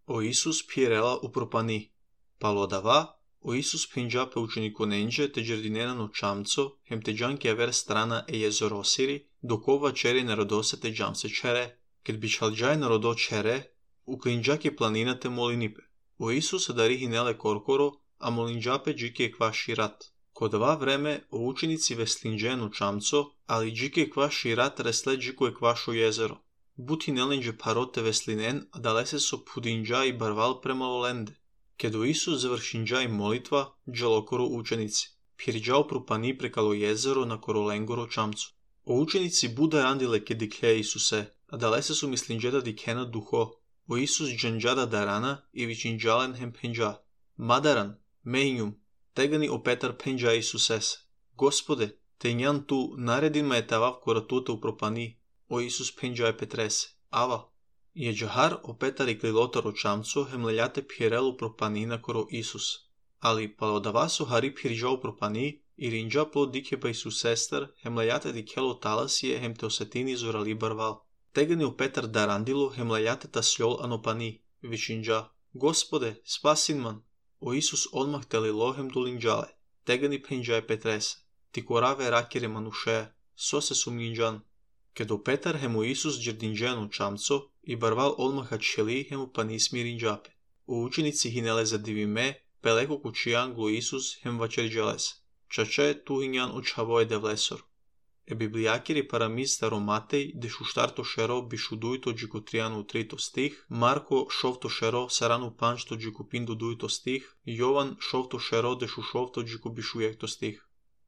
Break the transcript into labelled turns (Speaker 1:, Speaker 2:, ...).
Speaker 1: O Isus pierela u propani. Palodava, o Isus pingia pe uceniconenge te giardinena no čamco, hem te gianchi aver strana e jezorosiri, dokova čeri narodose te džamse čere. Kad bi čalđaj narodo čere, uklinđake planina te molinipe. O Isus dari hinele korkoro, a molinđape džike kva širat. Ko dva vreme, o učenici veslinđenu čamco, ali džike kva širat resle džiko je kvašo jezero. Buti nelinđe parote veslinen, a dalese so pudinđa i barval premalo lende. Kad o Isus završinđa i molitva, džalokoro učenici. Pirđao propani prekalo jezero na korolengoro čamcu. O učenici Buda randile ke dikhe Isuse, a dalese su mislinđeda dikhena duho. O Isus džanđada darana i vičinđalen hem penđa. Madaran, mehinjum, tegani o Petar penđa Isusese. Gospode, te njan tu naredin me etavav koratuta u propani. O Isus penđa je Petrese. Ava. Je džahar o Petar i klilotar o čamco hem leljate pirelu propanina koro Isus. Ali palodava su hari pirđao propani i rinđa plod dike pa Isusestar hem leljate dikelo talasije hem te osetini zorali barval. Tegani o Petar darandilo hem leljate tasljol anopani. Vičinđa. Gospode, spasin man. O Isus odmah telilo hem dulinđale. Tegani penđa je Petrese. Ti korave rakire manuše. Sose sumnjinđan. Kad o Petar hem o Isus džerdinđenu čamco i barval odmaha čeli hem u panismi rinđape. O učenici hinele za divime, peleko kučijan glu Isus hem vačerđeles. Čače tu hinjan očavoje devlesor. E biblijakiri paramiz staromatej de šuštarto šero bišudujto džikotrianu trito stih, Marko šovto šero saranu pančto džikopindu dujto stih, Jovan šovto šero de šušovto džikobišujekto stih.